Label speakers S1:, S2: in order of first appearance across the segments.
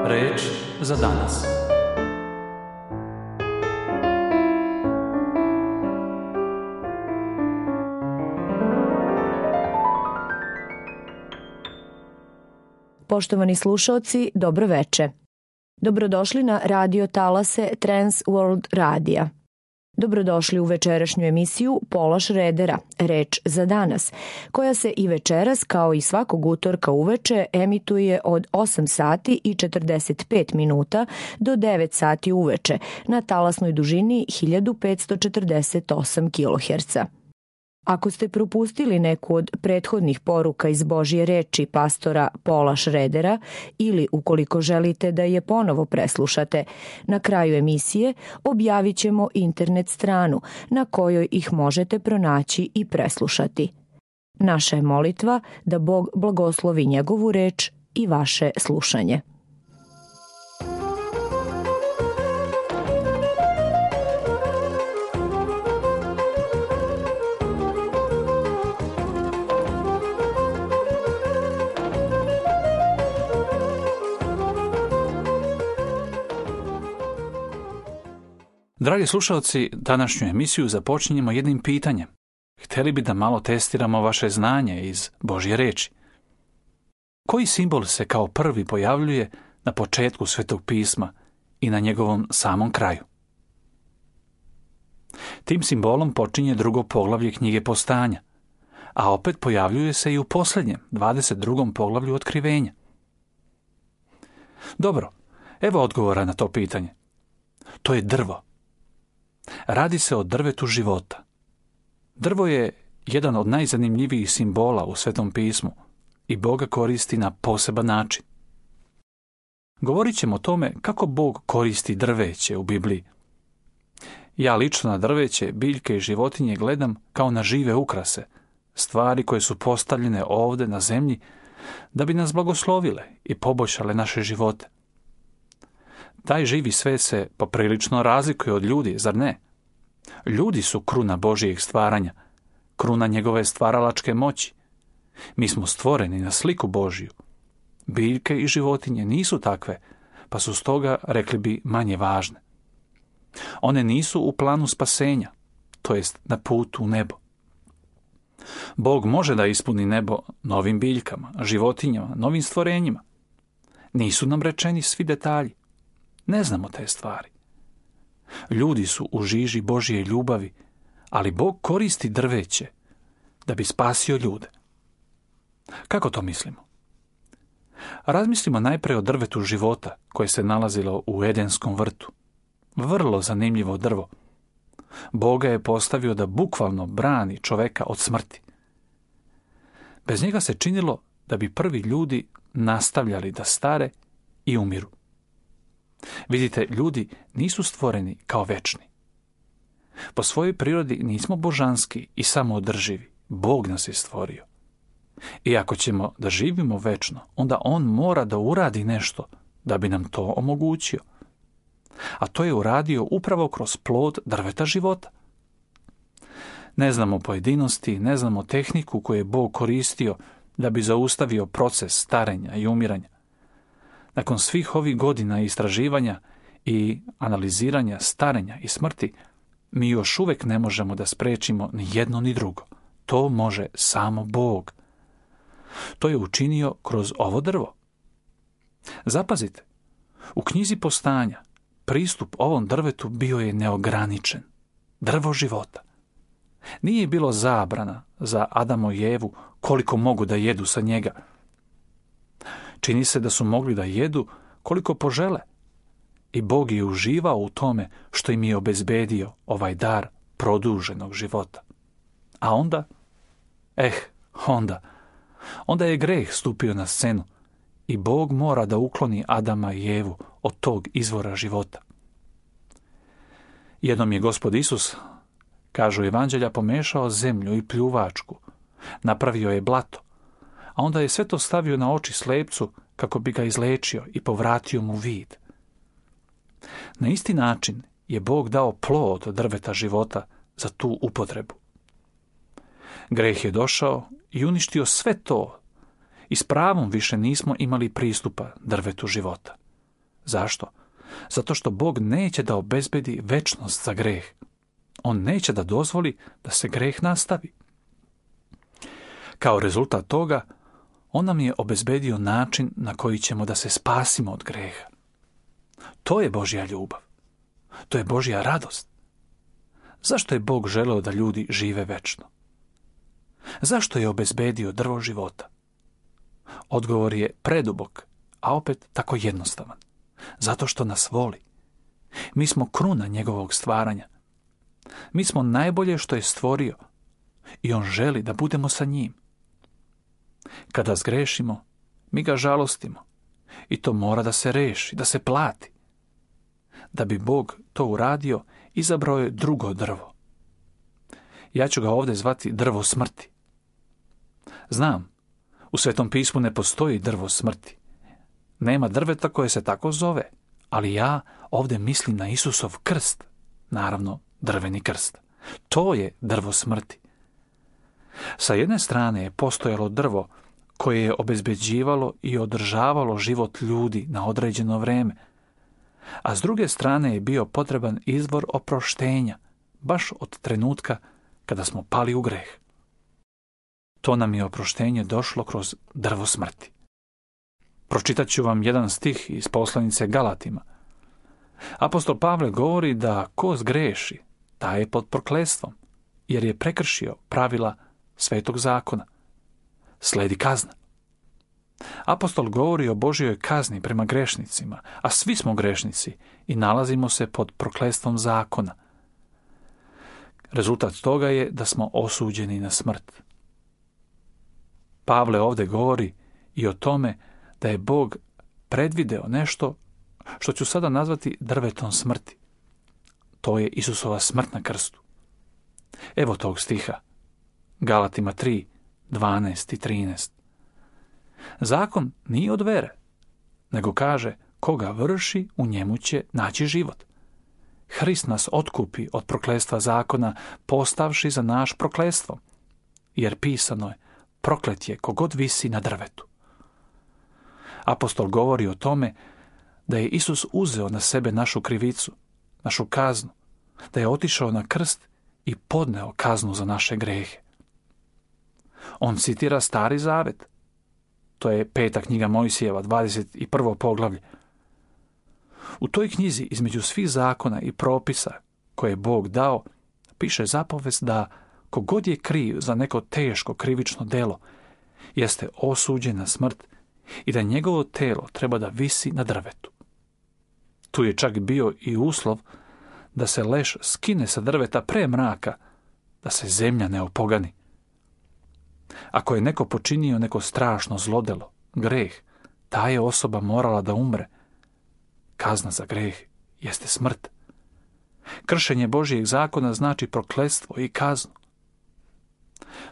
S1: Reč za danas.
S2: Poštovani slušaoci, dobro veče. Dobrodošli na radio talase Trans World Radija. Dobrodošli u večerašnju emisiju Pola Šredera, Reč za danas, koja se i večeras, kao i svakog utorka uveče, emituje od 8 sati i 45 minuta do 9 sati uveče na talasnoj dužini 1548 kHz. Ako ste propustili neku od prethodnih poruka iz Božje reči pastora Pola Šredera ili ukoliko želite da je ponovo preslušate, na kraju emisije objavit ćemo internet stranu na kojoj ih možete pronaći i preslušati. Naša je molitva da Bog blagoslovi njegovu reč i vaše slušanje.
S1: Dragi slušalci, današnju emisiju započinjemo jednim pitanjem. Htjeli bi da malo testiramo vaše znanje iz Božje reči. Koji simbol se kao prvi pojavljuje na početku Svetog pisma i na njegovom samom kraju? Tim simbolom počinje drugo poglavlje knjige Postanja, a opet pojavljuje se i u posljednjem, 22. poglavlju Otkrivenja. Dobro, evo odgovora na to pitanje. To je drvo. Radi se o drvetu života. Drvo je jedan od najzanimljivijih simbola u Svetom pismu i Bog ga koristi na poseban način. Govorit ćemo o tome kako Bog koristi drveće u Bibliji. Ja lično na drveće, biljke i životinje gledam kao na žive ukrase, stvari koje su postavljene ovdje na zemlji da bi nas blagoslovile i poboljšale naše živote. Taj živi svet se poprilično razlikuje od ljudi, zar ne? Ljudi su kruna Božijeg stvaranja, kruna njegove stvaralačke moći. Mi smo stvoreni na sliku Božiju. Biljke i životinje nisu takve, pa su stoga, rekli bi, manje važne. One nisu u planu spasenja, to jest na putu u nebo. Bog može da ispuni nebo novim biljkama, životinjama, novim stvorenjima. Nisu nam rečeni svi detalji. Ne znamo te stvari. Ljudi su u žiži Božje ljubavi, ali Bog koristi drveće da bi spasio ljude. Kako to mislimo? Razmislimo najprije o drvetu života koje se nalazilo u Edenskom vrtu. Vrlo zanimljivo drvo. Bog ga je postavio da bukvalno brani čoveka od smrti. Bez njega se činilo da bi prvi ljudi nastavljali da stare i umiru. Vidite, ljudi nisu stvoreni kao večni. Po svojoj prirodi nismo božanski i samoodrživi. Bog nas je stvorio. I ako ćemo da živimo večno, onda On mora da uradi nešto da bi nam to omogućio. A to je uradio upravo kroz plod drveta života. Ne znamo pojedinosti, ne znamo tehniku koju je Bog koristio da bi zaustavio proces starenja i umiranja. Nakon svih ovih godina istraživanja i analiziranja starenja i smrti, mi još uvijek ne možemo da sprečimo ni jedno ni drugo. To može samo Bog. To je učinio kroz ovo drvo. Zapazite, u knjizi Postanja pristup ovom drvetu bio je neograničen. Drvo života. Nije bilo zabrana za Adamo i Evu koliko mogu da jedu sa njega. Čini se da su mogli da jedu koliko požele. I Bog je uživao u tome što im je obezbedio ovaj dar produženog života. A onda je greh stupio na scenu i Bog mora da ukloni Adama i Evu od tog izvora života. Jednom je Gospod Isus, kažu evanđelja, pomešao zemlju i pljuvačku, napravio je blato, a onda je sve to stavio na oči slepcu kako bi ga izlečio i povratio mu vid. Na isti način je Bog dao plod drveta života za tu upotrebu. Greh je došao i uništio sve to i s pravom više nismo imali pristupa drvetu života. Zašto? Zato što Bog neće da obezbedi večnost za greh. On neće da dozvoli da se greh nastavi. Kao rezultat toga, on nam je obezbedio način na koji ćemo da se spasimo od greha. To je Božja ljubav. To je Božja radost. Zašto je Bog želeo da ljudi žive večno? Zašto je obezbedio drvo života? Odgovor je predubok, a opet tako jednostavan. Zato što nas voli. Mi smo kruna njegovog stvaranja. Mi smo najbolje što je stvorio i on želi da budemo sa njim. Kada zgrešimo, mi ga žalostimo i to mora da se reši, da se plati. Da bi Bog to uradio, izabrao je drugo drvo. Ja ću ga ovdje zvati drvo smrti. Znam, u Svetom pismu ne postoji drvo smrti. Nema drveta koje se tako zove, ali ja ovdje mislim na Isusov krst, naravno drveni krst. To je drvo smrti. Sa jedne strane je postojalo drvo koje je obezbeđivalo i održavalo život ljudi na određeno vreme, a s druge strane je bio potreban izvor oproštenja, baš od trenutka kada smo pali u greh. To nam je oproštenje došlo kroz drvo smrti. Pročitat ću vam jedan stih iz poslanice Galatima. Apostol Pavle govori da ko zgreši, taj je pod prokletstvom, jer je prekršio pravila Svetog zakona. Sledi kazna. Apostol govori o Božjoj kazni prema grešnicima, a svi smo grešnici i nalazimo se pod prokletstvom zakona. Rezultat toga je da smo osuđeni na smrt. Pavle ovdje govori i o tome da je Bog predvideo nešto što ću sada nazvati drvetom smrti. To je Isusova smrt na krstu. Evo tog stiha. Galatima 3, 12 i 13. Zakon nije od vere, nego kaže koga vrši, u njemu će naći život. Hrist nas otkupi od prokletstva zakona, postavši za naš prokletstvo, jer pisano je, proklet je kogod visi na drvetu. Apostol govori o tome da je Isus uzeo na sebe našu krivicu, našu kaznu, da je otišao na krst i podneo kaznu za naše grehe. On citira Stari zavet. To je 5. knjiga Mojsijeva, 21. poglavlje. U toj knjizi, između svih zakona i propisa koje je Bog dao, piše zapovest da kogod je kriv za neko teško krivično delo, jeste osuđen na smrt i da njegovo telo treba da visi na drvetu. Tu je čak bio i uslov da se leš skine sa drveta pre mraka, da se zemlja ne opogani. Ako je neko počinio neko strašno zlodelo, greh, ta je osoba morala da umre. Kazna za greh jeste smrt. Kršenje Božjeg zakona znači prokletstvo i kaznu.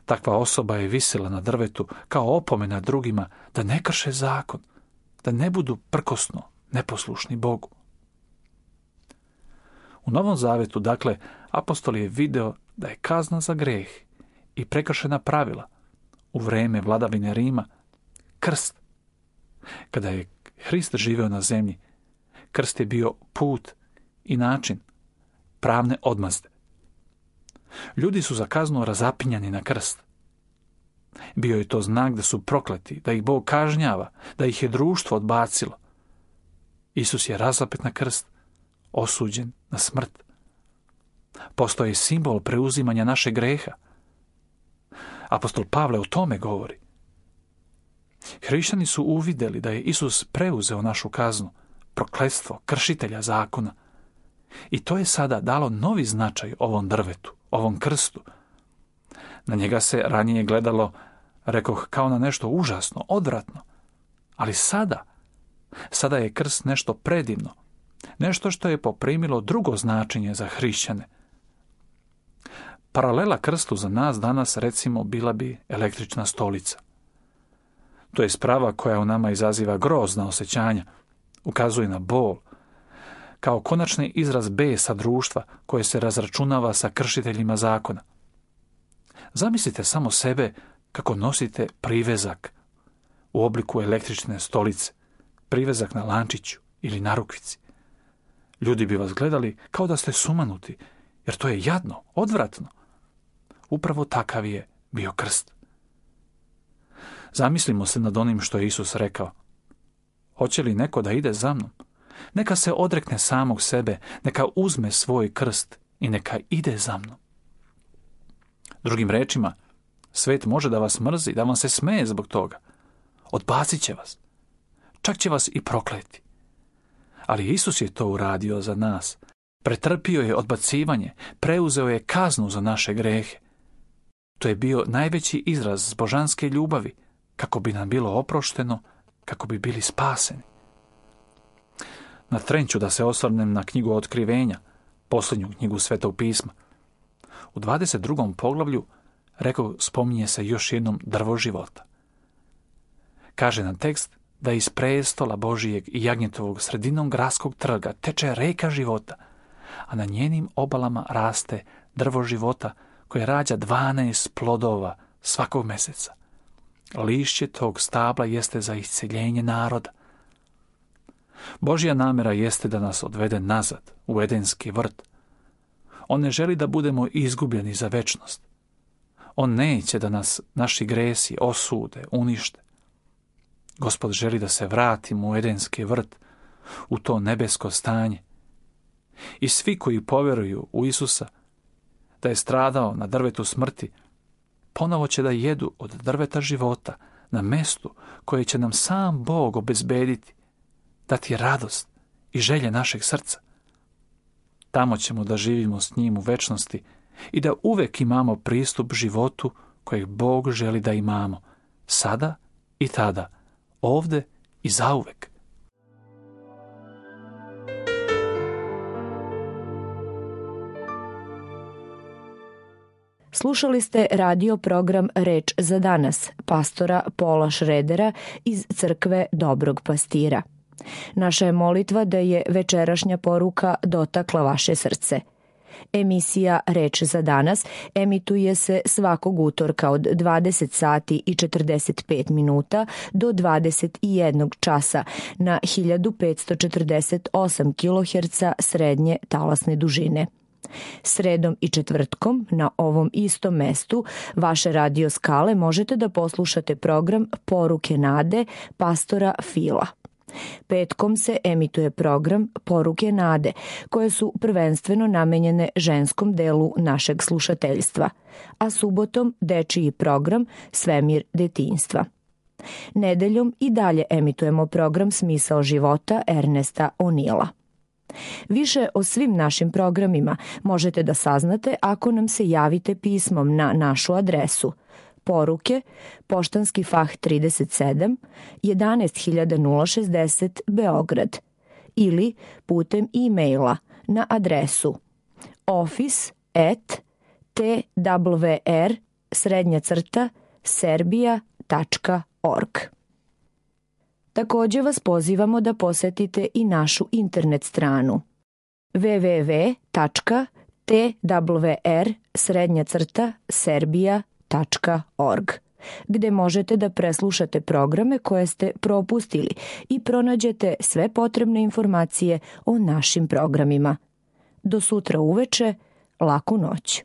S1: Takva osoba je visila na drvetu kao opomena drugima da ne krše zakon, da ne budu prkosno neposlušni Bogu. U Novom zavetu, dakle, apostol je video da je kazna za greh i prekršena pravila u vreme vladavine Rima krst. Kada je Hrist živeo na zemlji, krst je bio put i način pravne odmazde. Ljudi su za kaznu razapinjani na krst. Bio je to znak da su prokleti, da ih Bog kažnjava, da ih je društvo odbacilo. Isus je razapet na krst, osuđen na smrt. Postao je simbol preuzimanja našeg greha. Apostol Pavle o tome govori. Hrišćani su uvidjeli da je Isus preuzeo našu kaznu, prokletstvo kršitelja zakona. I to je sada dalo novi značaj ovom drvetu, ovom krstu. Na njega se ranije gledalo, rekoh, kao na nešto užasno, odvratno. Ali sada je krst nešto predivno, nešto što je poprimilo drugo značenje za hrišćane. Paralela krstu za nas danas, recimo, bila bi električna stolica. To je sprava koja u nama izaziva grozna osjećanja, ukazuje na bol, kao konačni izraz besa društva koje se razračunava sa kršiteljima zakona. Zamislite samo sebe kako nosite privezak u obliku električne stolice, privezak na lančiću ili narukvici. Ljudi bi vas gledali kao da ste sumanuti, jer to je jadno, odvratno. Upravo takav je bio krst. Zamislimo se nad onim što je Isus rekao. Hoće li neko da ide za mnom? Neka se odrekne samog sebe, neka uzme svoj krst i neka ide za mnom. Drugim rečima, svet može da vas mrzi, da vam se smeje zbog toga. Odbacit će vas. Čak će vas i prokleti. Ali Isus je to uradio za nas. Pretrpio je odbacivanje, preuzeo je kaznu za naše grehe. To je bio najveći izraz božanske ljubavi, kako bi nam bilo oprošteno, kako bi bili spaseni. Na tren ću da se osvrnem na knjigu Otkrivenja, posljednju knjigu Svetog pisma. U 22. poglavlju, spominje se još jednom drvo života. Kaže nam tekst da iz prestola Božijeg i jagnjetovog sredinom gradskog trga teče reka života, a na njenim obalama raste drvo života koje rađa 12 plodova svakog meseca. Lišće tog stabla jeste za isceljenje naroda. Božja namjera jeste da nas odvede nazad u Edenski vrt. On ne želi da budemo izgubljeni za večnost. On neće da nas naši gresi osude, unište. Gospod želi da se vratimo u Edenski vrt, u to nebesko stanje. I svi koji poveruju u Isusa, da je stradao na drvetu smrti, ponovo će da jedu od drveta života na mestu koje će nam sam Bog obezbediti, dati radost i želje našeg srca. Tamo ćemo da živimo s njim u večnosti i da uvek imamo pristup životu kojeg Bog želi da imamo, sada i tada, ovde i zauvek.
S2: Slušali ste radio program Reč za danas, pastora Paula Schroedera iz crkve Dobrog pastira. Naša je molitva da je večerašnja poruka dotakla vaše srce. Emisija Reč za danas emituje se svakog utorka od 20 sati i 45 minuta do 21 časa na 1548 kHz srednje talasne dužine. Sredom i četvrtkom na ovom istom mestu vaše radio skale možete da poslušate program Poruke nade pastora Fila. Petkom se emituje program Poruke nade, koje su prvenstveno namenjene ženskom delu našeg slušateljstva, a subotom dečiji program Svemir detinjstva. Nedeljom i dalje emitujemo program Smisao života Ernesta O'Neila. Više o svim našim programima možete da saznate ako nam se javite pismom na našu adresu Poruke, Poštanski fah 37, 11060 Beograd ili putem e-maila na adresu office@twr-serbia.org. Također vas pozivamo da posetite i našu internet stranu www.twr-serbia.org, gde možete da preslušate programe koje ste propustili i pronađete sve potrebne informacije o našim programima. Do sutra uveče, laku noć.